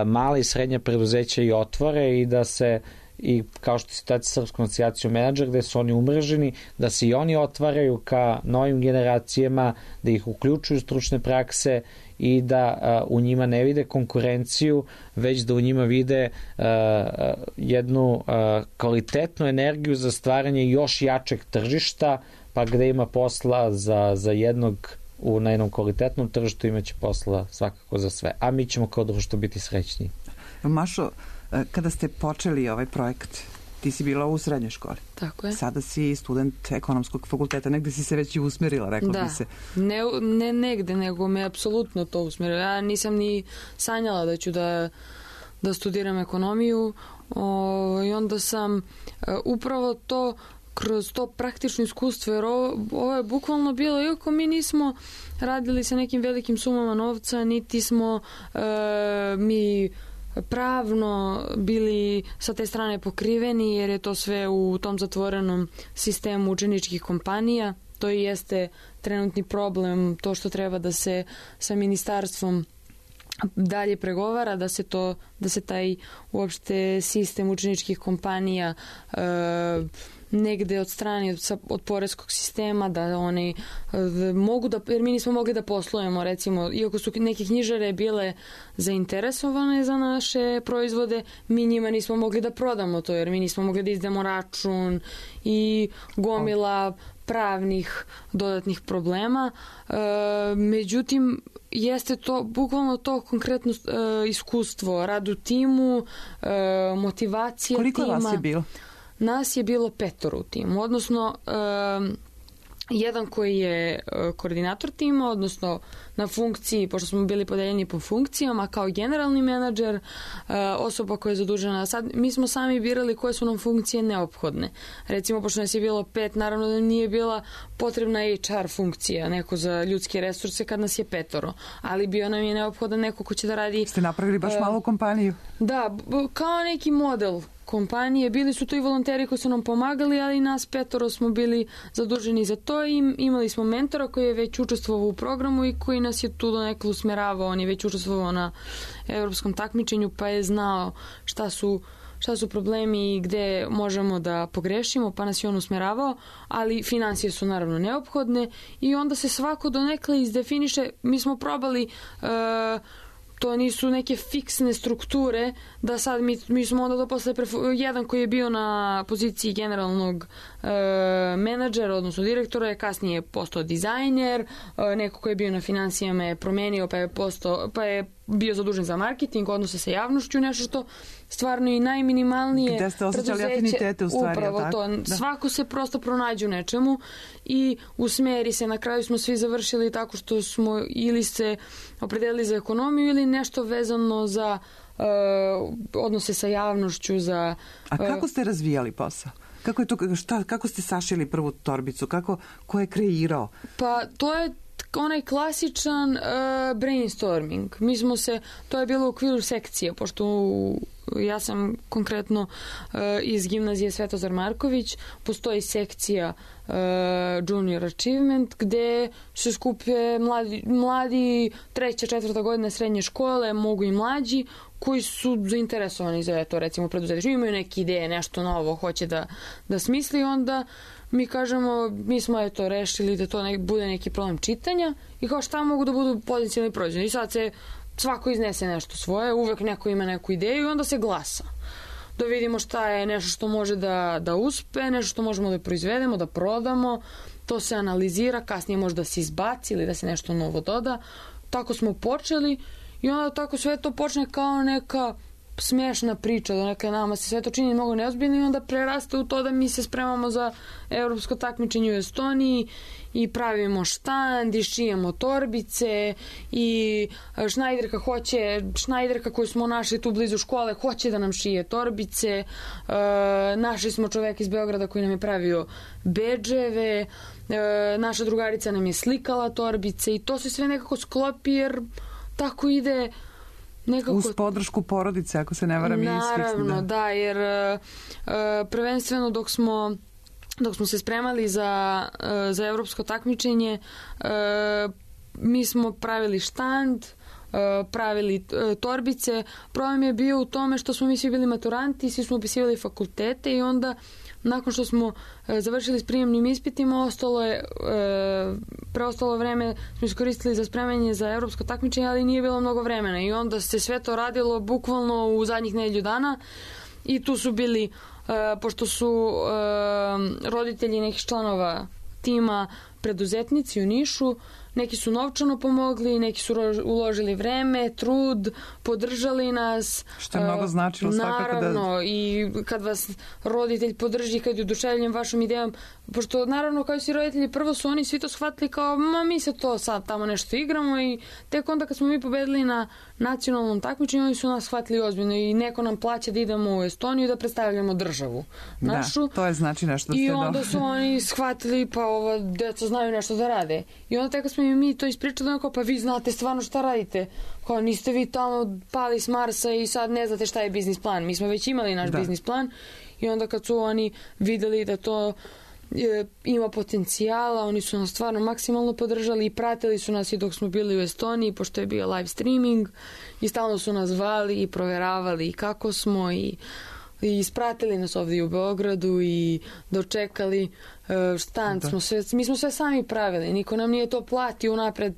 mala i srednja preduzeća i otvore i da se i kao što je situacija sa Srpskom asocijacijom menadžera gde su oni umreženi, da se i oni otvaraju ka novim generacijama, da ih uključuju stručne prakse i da u njima ne vide konkurenciju, već da u njima vide jednu kvalitetnu energiju za stvaranje još jačeg tržišta, pa gde ima posla za jednog na jednom kvalitetnom tržištu imaće posla svakako za sve. A mi ćemo kao društvo biti srećniji. Mašo, kada ste počeli ovaj projekat, ti si bila u srednjoj školi. Tako je. Sada si student ekonomskog fakulteta, negde si se već i usmerila, rekla bi se. Ne negde, nego me apsolutno to usmerilo. Ja nisam ni sanjala da ću da studiram ekonomiju i onda sam upravo to kroz to praktično iskustvo, jer ovo je bukvalno bilo, iako mi nismo radili sa nekim velikim sumama novca, niti smo mi pravno bili sa te strane pokriveni, jer je to sve u tom zatvorenom sistemu učeničkih kompanija. To i jeste trenutni problem, to što treba da se sa ministarstvom dalje pregovara, da se taj uopšte sistem učeničkih kompanija negde od strane od poreskog sistema, da oni mogu da, jer mi nismo mogli da poslujemo, recimo, iako su neke knjižare bile zainteresovane za naše proizvode, mi njima nismo mogli da prodamo to, jer mi nismo mogli da izdamo račun i gomila pravnih dodatnih problema. Međutim, jeste to, bukvalno to konkretno iskustvo, rad u timu, motivacija tima. Koliko vas je bilo? Nas je bilo 5 u timu, odnosno jedan koji je koordinator tima, odnosno na funkciji, pošto smo bili podeljeni po funkcijama, kao generalni menadžer, osoba koja je zadužena. Sad, mi smo sami birali koje su nam funkcije neophodne. Recimo, pošto nas je bilo 5, naravno da nije bila potrebna HR funkcija, neko za ljudske resurse kad nas je 5, ali bio nam je neophodan neko ko će da radi... Ste napravili baš malu kompaniju? Da, kao neki model kompanije. Bili su to i volonteri koji su nam pomagali, ali nas 5 smo bili zaduženi za to i imali smo mentora koji je već učestvovao u programu i koji nas je tu donekle usmeravao. On je već učestvovao na evropskom takmičenju, pa je znao šta su problemi i gde možemo da pogrešimo, pa nas je on usmeravao, ali financije su naravno neophodne i onda se svako donekle izdefiniše. Mi smo probali to nisu neke fiksne strukture, da sad mi smo onda to posle jedan koji je bio na poziciji generalnog menadžera, odnosno direktora, je kasnije postao dizajner, neko koji je bio na financijama je promenio, pa je bio zadužen za marketing, odnose sa javnošću, nešto što stvarno i najminimalnije gde ste osjećali afinitete u stvari, upravo tako? To. Da. Svako se prosto pronađe u nečemu i usmeri se. Na kraju smo svi završili tako što smo ili se opredelili za ekonomiju ili nešto vezano za odnose sa javnošću. A kako ste razvijali posao? Kako je to, kako ste sašili prvu torbicu? Ko je kreirao? Pa to je onaj klasičan brainstorming. To je bilo u okviru sekcije, pošto ja sam konkretno iz gimnazije Svetozar Marković, postoji sekcija Junior Achievement, gde se skupe mladi 3. 4. godina srednje škole, mogu i mlađi, koji su zainteresovani za to, recimo preduzetništvo, imaju neke ideje, nešto novo hoće da smisli, onda mi kažemo, mi smo rešili da to bude neki problem čitanja i kao šta mogu da budu potencijalni proizvodi. I sad se svako iznese nešto svoje, uvek neko ima neku ideju i onda se glasa. Da vidimo šta je nešto što može da uspe, nešto što možemo da proizvedemo, da prodamo, to se analizira, kasnije može da se izbaci ili da se nešto novo doda. Tako smo počeli i onda tako sve to počne kao neka smiješna priča, da neka nama se sve to čini mnogo neozbiljno i onda preraste u to da mi se spremamo za evropsko takmičenje u Estoniji i pravimo štand i šijemo torbice i Šnajderka koju smo našli tu blizu škole hoće da nam šije torbice. Našli smo čoveka iz Beograda koji nam je pravio bedževe, naša drugarica nam je slikala torbice i to se sve nekako sklopi jer tako ide nekako... Uz podršku porodice, ako se ne varam. Naravno, da, jer prvenstveno dok smo se spremali za evropsko takmičenje, mi smo pravili štand, pravili torbice. Problem je bio u tome što smo mi svi bili maturanti, svi smo upisivali fakultete i onda nakon što smo završili s prijemnim ispitima, preostalo vreme smo iskoristili za spremanje za evropsko takmičenje, ali nije bilo mnogo vremena i onda se sve to radilo bukvalno u zadnjih nedelju dana i tu su bili, pošto su roditelji nekih članova tima preduzetnici u Nišu, neki su novčano pomogli, neki su uložili vreme, trud, podržali nas. Što je mnogo značilo svakako. Naravno, i kad vas roditelj podrži, kad je oduševljen vašom idejom, pošto naravno kao si roditelji, prvo su oni svi to shvatili kao, mi se to sad tamo nešto igramo i tek onda kad smo mi pobedili na nacionalnom takmičenju, oni su nas shvatili ozbiljno i neko nam plaća da idemo u Estoniju da predstavljamo državu našu. Da, to je znači nešto. I onda su oni shvatili, pa ova deca znaju nešto da rade. I onda tek kad smo mi to ispričali, pa vi znate stvarno šta radite. Kao niste vi tamo pali s Marsa i sad ne znate šta je biznis plan. Mi smo već imali naš biznis plan i onda kad su oni videli da to ima potencijala, oni su nas stvarno maksimalno podržali i pratili su nas i dok smo bili u Estoniji, pošto je bio live streaming i stalno su nas zvali i proveravali i kako smo i ispratili nas ovdje u Beogradu i dočekali štand. Mi smo sve sami pravili, niko nam nije to platio unapred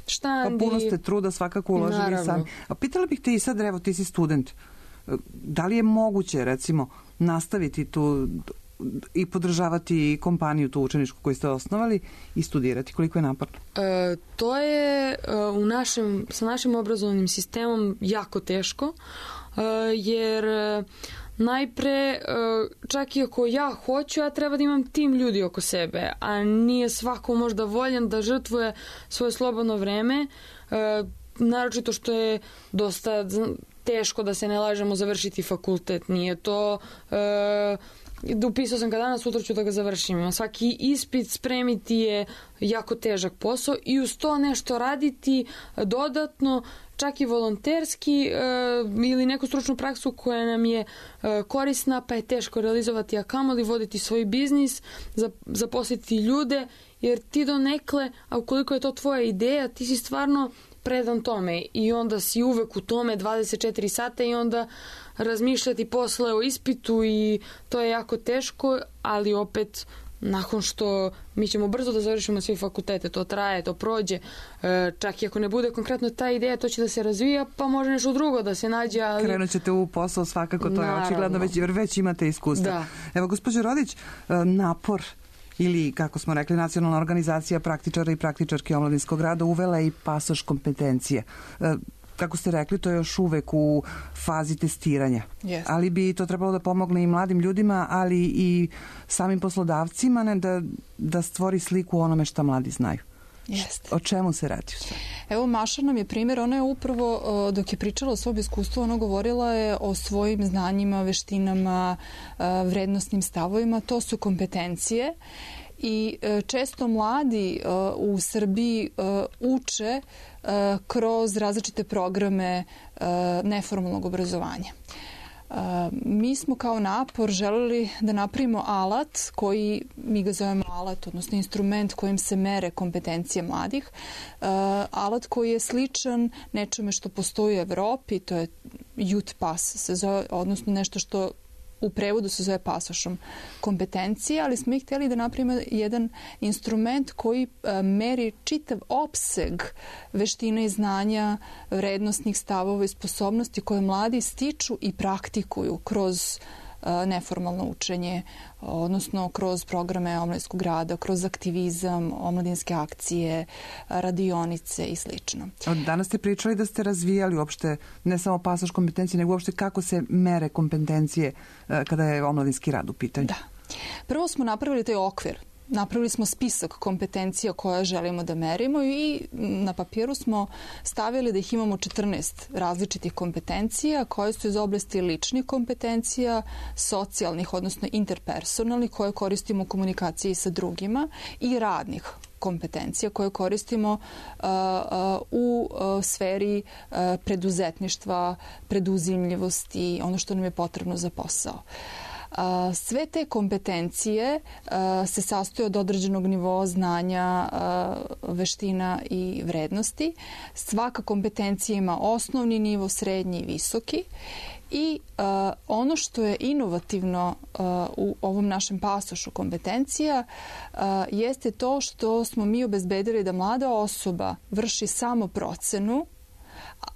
štand. Pa puno ste truda svakako uložili sami. A pitala bih te i sad, evo ti si student, da li je moguće recimo nastaviti tu i podržavati kompaniju tu učeničku koju ste osnovali i studirati? Koliko je naporno? To je sa našim obrazovnim sistemom jako teško, jer najpre, čak i ako ja hoću, ja treba da imam tim ljudi oko sebe, a nije svako možda voljan da žrtvuje svoje slobodno vreme, naročito što je dosta teško, da se ne lažemo, završiti fakultet. Nije to... Upisao sam ga danas, sutra ću da ga završim. Svaki ispit spremiti je jako težak posao i uz to nešto raditi dodatno, čak i volonterski ili neku stručnu praksu koja nam je korisna, pa je teško realizovati, a kamoli voditi svoj biznis, zaposliti ljude, jer ti donekle, a ukoliko je to tvoja ideja, ti si stvarno predan tome i onda si uvek u tome 24 sata i onda razmišljati posle o ispitu i to je jako teško, ali opet nakon što mi ćemo brzo da završimo sve fakultete, to traje, to prođe, čak i ako ne bude konkretno ta ideja, to će da se razvija, pa može nešto drugo da se nađe, ali... Krenut ćete u posao svakako, to je očigledno, već imate iskustva. Da. Evo, gospođo Rodić, napor ili, kako smo rekli, Nacionalna organizacija praktičara i praktičarki omladinskog rada uvela i pasoš kompetencije. kako ste rekli, to je još uvek u fazi testiranja. Yes. Ali bi to trebalo da pomogne i mladim ljudima, ali i samim poslodavcima da stvori sliku o onome šta mladi znaju. Jeste. O čemu se radi? Evo, Maša nam je primjer, ona je upravo, dok je pričala o svom iskustvu, ona govorila je o svojim znanjima, veštinama, vrednostnim stavovima, to su kompetencije i često mladi u Srbiji uče kroz različite programe neformalnog obrazovanja. Mi smo kao napor želeli da napravimo alat koji, mi ga zovemo alat, odnosno instrument kojim se mere kompetencije mladih. Alat koji je sličan nečemu što postoji u Evropi, to je Youth Pass, se zove, odnosno nešto što u prevodu se zove pasošom kompetencije, ali smo i htjeli da napravimo jedan instrument koji meri čitav opseg veština i znanja, vrednostnih stavova i sposobnosti koje mladi stiču i praktikuju kroz neformalno učenje, odnosno kroz programe omladinskog rada, kroz aktivizam, omladinske akcije, radionice i slično. Danas ste pričali da ste razvijali uopšte ne samo pasoš kompetencije, nego uopšte kako se mere kompetencije kada je omladinski rad u pitanju. Da. Prvo smo napravili taj okvir. Napravili smo spisak kompetencija koje želimo da merimo i na papiru smo stavili da ih imamo 14 različitih kompetencija koje su iz oblasti ličnih kompetencija, socijalnih, odnosno interpersonalnih, koje koristimo u komunikaciji sa drugima i radnih kompetencija koje koristimo u sferi preduzetništva, preduzimljivosti, ono što nam je potrebno za posao. Sve te kompetencije se sastoje od određenog nivoa znanja, veština i vrednosti. Svaka kompetencija ima osnovni nivo, srednji i visoki. I ono što je inovativno u ovom našem pasošu kompetencija jeste to što smo mi obezbedili da mlada osoba vrši samo procenu,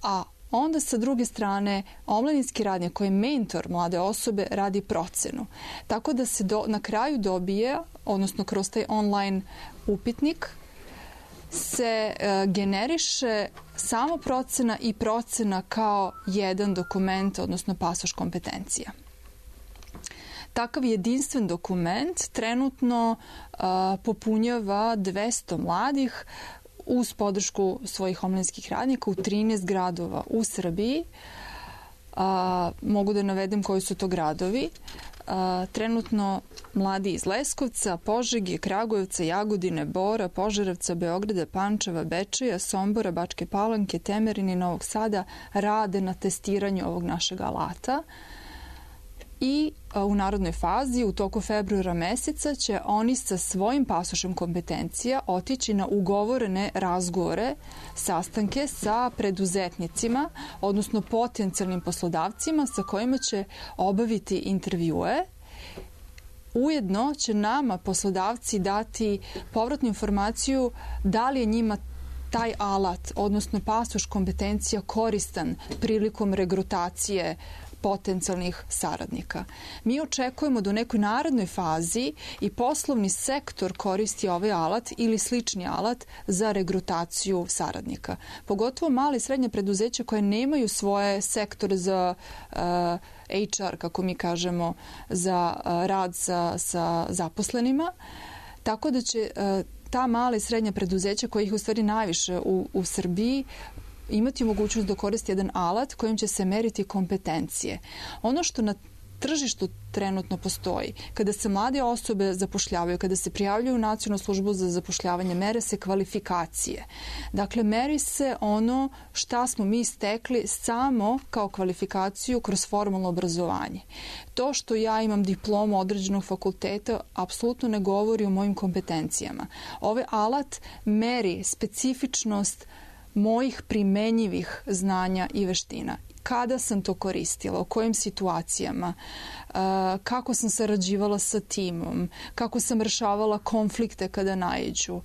a onda sa druge strane omladinski radnik koji je mentor mlade osobe radi procenu. Tako da se na kraju dobije, odnosno kroz taj online upitnik, se generiše samo procena i procena kao jedan dokument, odnosno pasoš kompetencija. Takav jedinstven dokument trenutno popunjava 200 mladih uz podršku svojih omladinskih radnika u 13 gradova u Srbiji. Mogu da navedem koji su to gradovi. Trenutno mladi iz Leskovca, Požege, Kragujevca, Jagodine, Bora, Požarevca, Beograda, Pančeva, Bečeja, Sombora, Bačke Palanke, Temerine i Novog Sada rade na testiranju ovog našeg alata. I u narodnoj fazi u toku februara meseca će oni sa svojim pasošem kompetencija otići na ugovorene razgovore, sastanke sa preduzetnicima, odnosno potencijalnim poslodavcima sa kojima će obaviti intervjue. Ujedno će nama poslodavci dati povratnu informaciju da li je njima taj alat, odnosno pasoš kompetencija koristan prilikom regrutacije potencijalnih saradnika. Mi očekujemo da u nekoj narednoj fazi i poslovni sektor koristi ovaj alat ili slični alat za regrutaciju saradnika. Pogotovo male i srednje preduzeća koje nemaju svoje sektore za HR, kako mi kažemo, za rad sa zaposlenima. Tako da će ta mala i srednja preduzeća, koja ih u stvari najviše u Srbiji, imati mogućnost da koristi jedan alat kojim će se meriti kompetencije. Ono što na tržištu trenutno postoji, kada se mlade osobe zapošljavaju, kada se prijavljuju u Nacionalnu službu za zapošljavanje, mere se kvalifikacije. Dakle, meri se ono šta smo mi stekli samo kao kvalifikaciju kroz formalno obrazovanje. To što ja imam diplomu određenog fakulteta apsolutno ne govori o mojim kompetencijama. Ovaj alat meri specifičnost mojih primenjivih znanja i veština. Kada sam to koristila, u kojim situacijama, kako sam sarađivala sa timom, kako sam rešavala konflikte kada naiđu,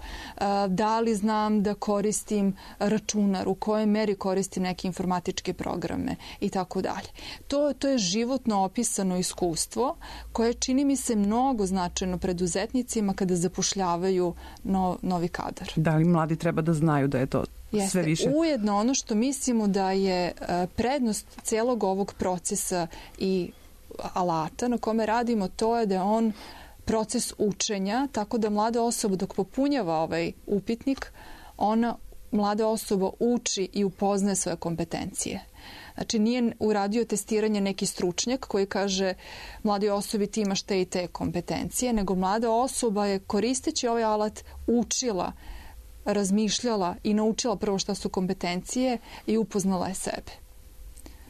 da li znam da koristim računar, u kojoj meri koristim neke informatičke programe i tako dalje. To je životno opisano iskustvo koje čini mi se mnogo značajno preduzetnicima kada zapošljavaju novi kadar. Da li mladi treba da znaju da je to sve više. Ujedno ono što mislimo da je prednost celog ovog procesa i alata na kome radimo, to je da je on proces učenja, tako da mlada osoba dok popunjava ovaj upitnik, mlada osoba uči i upoznaje svoje kompetencije. Znači, nije uradio testiranje neki stručnjak koji kaže mladoj osobi ti imaš te i te kompetencije, nego mlada osoba je koristeći ovaj alat učila, razmišljala i naučila prvo šta su kompetencije i upoznala je sebe.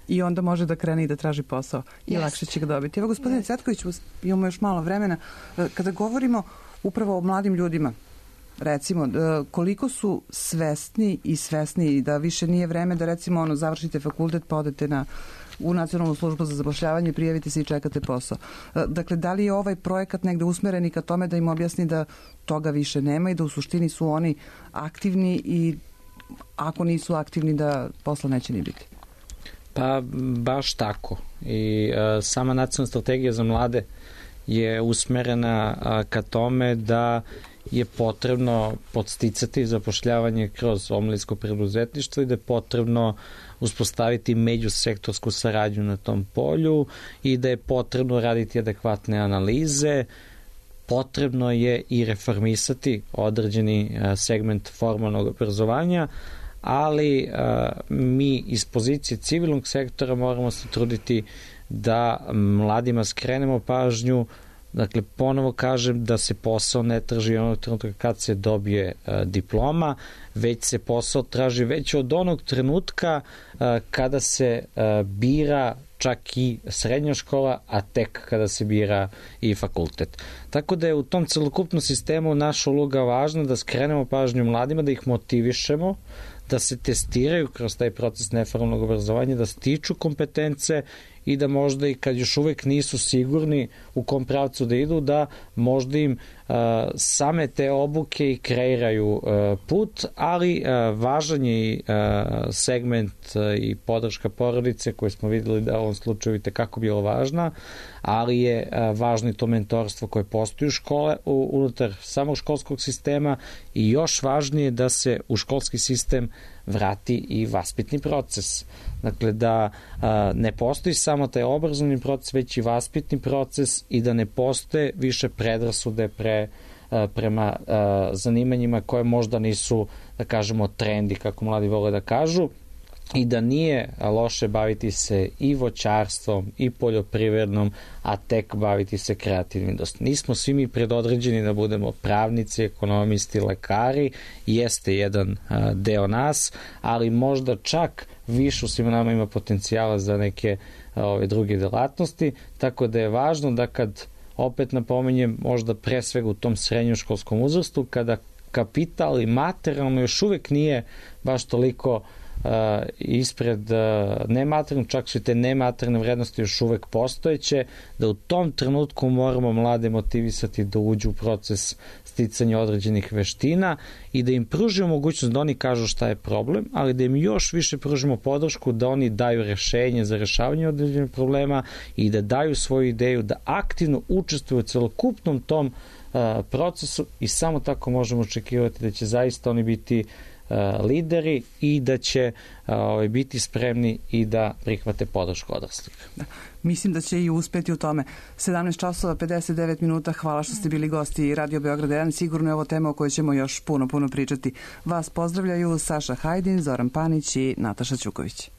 I onda može da krene i da traži posao i lakše će ga dobiti. Evo, gospodine Cvetković, imamo još malo vremena. Kada govorimo upravo o mladim ljudima, recimo, koliko su svesni da više nije vreme da recimo završite fakultet pa odete u Nacionalnu službu za zapošljavanje, prijavite se i čekate posao. Dakle, da li je ovaj projekat negde usmeren i ka tome da im objasni da toga više nema i da u suštini su oni aktivni i ako nisu aktivni da posla neće ni biti? Pa baš tako. I sama nacionalna strategija za mlade je usmerena ka tome da je potrebno podsticati zapošljavanje kroz omladinsko preduzetništvo i da je potrebno uspostaviti međusektorsku saradnju na tom polju i da je potrebno raditi adekvatne analize. Potrebno je i reformisati određeni segment formalnog obrazovanja, ali mi iz pozicije civilnog sektora moramo se truditi da mladima skrenemo pažnju. Dakle, ponovo kažem da se posao ne traži onog trenutka kad se dobije diploma, već se posao traži već od onog trenutka kada se bira čak i srednja škola, a tek kada se bira i fakultet. Tako da je u tom celokupnom sistemu naša uloga važna da skrenemo pažnju mladima, da ih motivišemo, da se testiraju kroz taj proces neformalnog obrazovanja, da stiču kompetence i da možda i kad još uvek nisu sigurni u kom pravcu da idu, da možda im same te obuke i kreiraju put, ali važan je i segment i podrška porodice koje smo videli da u ovom slučaju i tekako bilo važna, ali je važno i to mentorstvo koje postoji u škole, unutar samog školskog sistema i još važnije da se u školski sistem vrati i vaspitni proces. Dakle, da ne postoji samo taj obrazovni proces, već i vaspitni proces i da ne postoje više predrasude prema zanimanjima koje možda nisu, da kažemo, trendi, kako mladi vole da kažu, i da nije loše baviti se i voćarstvom i poljoprivrednom, a tek baviti se kreativnim industrijom. Nismo svi mi predodređeni da budemo pravnici, ekonomisti, lekari, jeste jedan deo nas, ali možda čak više u svima nama ima potencijala za neke druge delatnosti, tako da je važno da kad, opet napominjem, možda pre svega u tom srednjoškolskom uzrastu, kada kapital i materijalno još uvek nije baš toliko ispred nematerijalno, čak su te nematerijalne vrednosti još uvek postojeće, da u tom trenutku moramo mlade motivisati da uđu u proces sticanja određenih veština i da im pružimo mogućnost da oni kažu šta je problem, ali da im još više pružimo podršku da oni daju rešenje za rešavanje određenih problema i da daju svoju ideju, da aktivno učestvuju u celokupnom tom procesu i samo tako možemo očekivati da će zaista oni biti lideri i da će biti spremni i da prihvate podršku odraslih. Da. Mislim da će i uspeti u tome. 17 časova 59 minuta. Hvala što ste bili gosti Radio Beograd 1. Sigurno je ovo tema o kojoj ćemo još puno pričati. Vas pozdravljaju Saša Hajdin, Zoran Panić i Nataša Ćuković.